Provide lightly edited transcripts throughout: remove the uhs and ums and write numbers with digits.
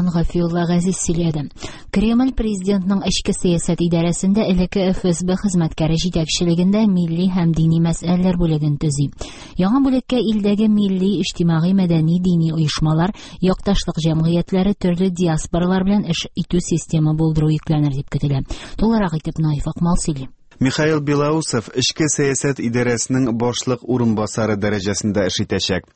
Тагын Гафиулла Газиз сөйләде. Кремль президентның эчке сәясәт идарәсендә элекке ФСБ хезмәткәре җитәкчелегендә милли һәм дини мәсьәләләр бүлеген төзи. Яңа бүлеккә илдәге милли, иҗтимагый, мәдәни, дини оешмалар, якташлык җәмгыятьләре, төрле диаспоралар белән эш итү системы булдыру йөкләнер дип көтелә. Тулырак итеп Наиф Акмал сөйли. Михаил Белоусов эчке сәясәт идарәсенең башлык урынбасары дәрәҗәсендә эш итәчәк.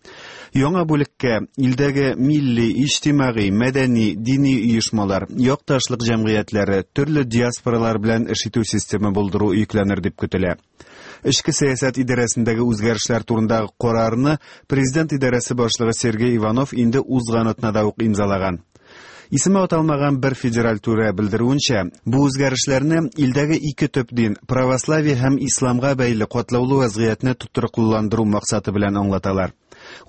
Яңа бүлеккә илдәге милли, иҗтимагый, мәдәни, дини оешмалар, якташлык җәмгыятьләре, төрле диаспоралар белән эш итү системы булдыру йөкләнер дип көтелә. Эчке сәясәт идарәсендәге үзгәрешләр турындагы карарны президент идарәсе башлыгы Сергей Иванов инде узган атнада ук имзалаган. Исеме аталмаган бер федераль түрә белдерүенчә, бу үзгәрешләрне илдәге ике төп дин, православие һәм исламга бәйле катлаулы вәзгыятьне тотрыклыландыру максаты белән аңлаталар.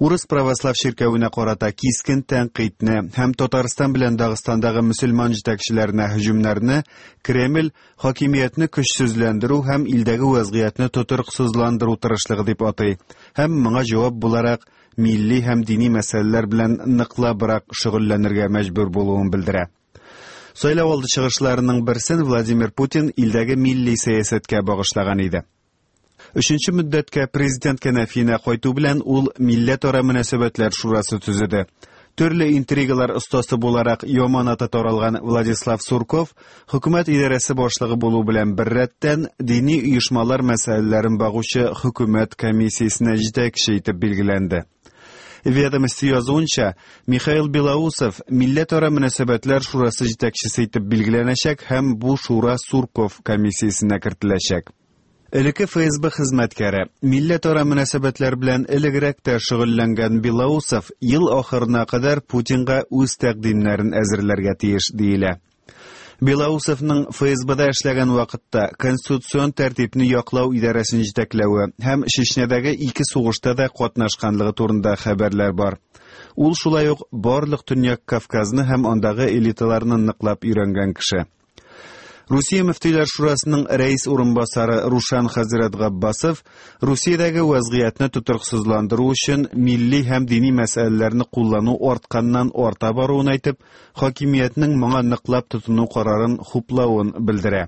Урыс православ чиркәвенә карата кискен тәнкыйтьне һәм Татарстан белән Дагыстандагы мөселман җитәкчеләренә һөҗүмнәрне Кремль хакимиятне көчсезләндерү һәм илдәге вәзгыятьне тотрыксызландыру тырышлыгы дип атый һәм моңа җавап буларак милли һәм дини мәсьәләләр белән ныклабрак шөгыльләнергә мәҗбүр булуын белдерә. Сайлау алды чыгышларының берсен Владимир Путин илдәге милли сәясәткә багышлаган иде. Өченче мөддәткә президент кәнәфиенә кайту белән ул Милләтара мөнәсәбәтләр шурасы төзеде. Төрле интригалар остасы буларак яман аты таралган Владислав Сурков хөкүмәт идарәсе башлыгы булу белән беррәттән дини оешмалар мәсьәләләрен багучы хөкүмәт комиссиясенә җитәкче итеп билгеләнде. Ведомости язуынча, Михаил Белоусов Милләтара мөнәсәбәтләр шурасы җитәкчесе итеп билгеләнәчәк һәм бу шура Сурков комиссиясенә кертеләчәк. Элекке ФСБ хезмәткәре, милләтара мөнәсәбәтләр белән элегрәк тә шөгыльләнгән Белоусов ел ахырына кадәр Путинга үз тәкъдимнәрен әзерләргә тиеш, диелә. Белоусовның ФСБда эшләгән вакытта конституцион тәртипне яклау идарәсен җитәкләве һәм Чечнядагы ике сугышта да катнашканлыгы турында хәбәрләр бар. Ул шулай ук барлык Төньяк Кавказны һәм андагы элиталарны ныклап өйрәнгән кеше. Русия мөфтиләр шурасының рәис урынбасары Рушан хәзрәт Габбасов Русиядәге вәзгыятьне тотрыксызландыру өчен милли һәм дини мәсьәләләрне куллану артканнан арта баруын әйтеп, хакимиятнең моңа ныклап тотыну карарын хуплавын белдерә.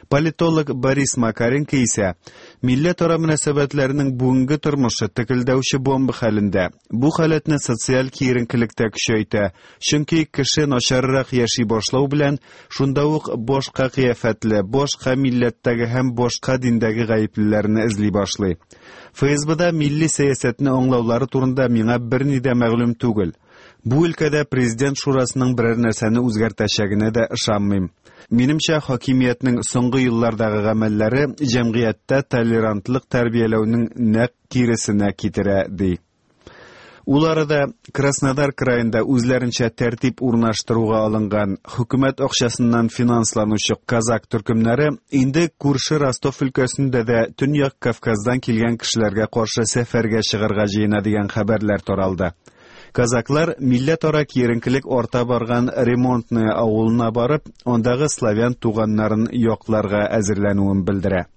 Политолог Борис Макаренко исә милләтара мөнәсәбәтләрнең бүгенге тормышы текелдәүче бомба хәлендә. Бу халәтне социаль киеренкелек тә көчәйтә, чөнки кеше начаррак яши башлау белән шунда ук башка кыяфәтле, башка милләттәге һәм башка диндәге гаеплеләрне эзли башлый. ФСБда милли сәясәтне аңлаулары турында миңа берни дә мәгълүм түгел. Бу өлкәдә президент шурасының берәр нәрсәне үзгәртәчәгенә дә ышанмыйм. Минемчә, хакимиятнең соңгы еллардагы гамәлләре җәмгыятьтә толерантлык тәрбияләүнең нәкъ киресенә китерә, ди. Ул арада Краснодар краенда үзләренчә тәртип урнаштыруга алынган хөкүмәт акчасыннан финансланучы казак төркемнәре инде күрше Ростов өлкәсендә дә Төньяк Кавказдан килгән кешеләргә каршы сәфәргә чыгарга җыена дигән хәбәрләр таралды. Казаклар милләтара киеренкелек арта барган Ремонтная авылына барып, андагы славян туганнарын якларга әзерләнүен белдерә.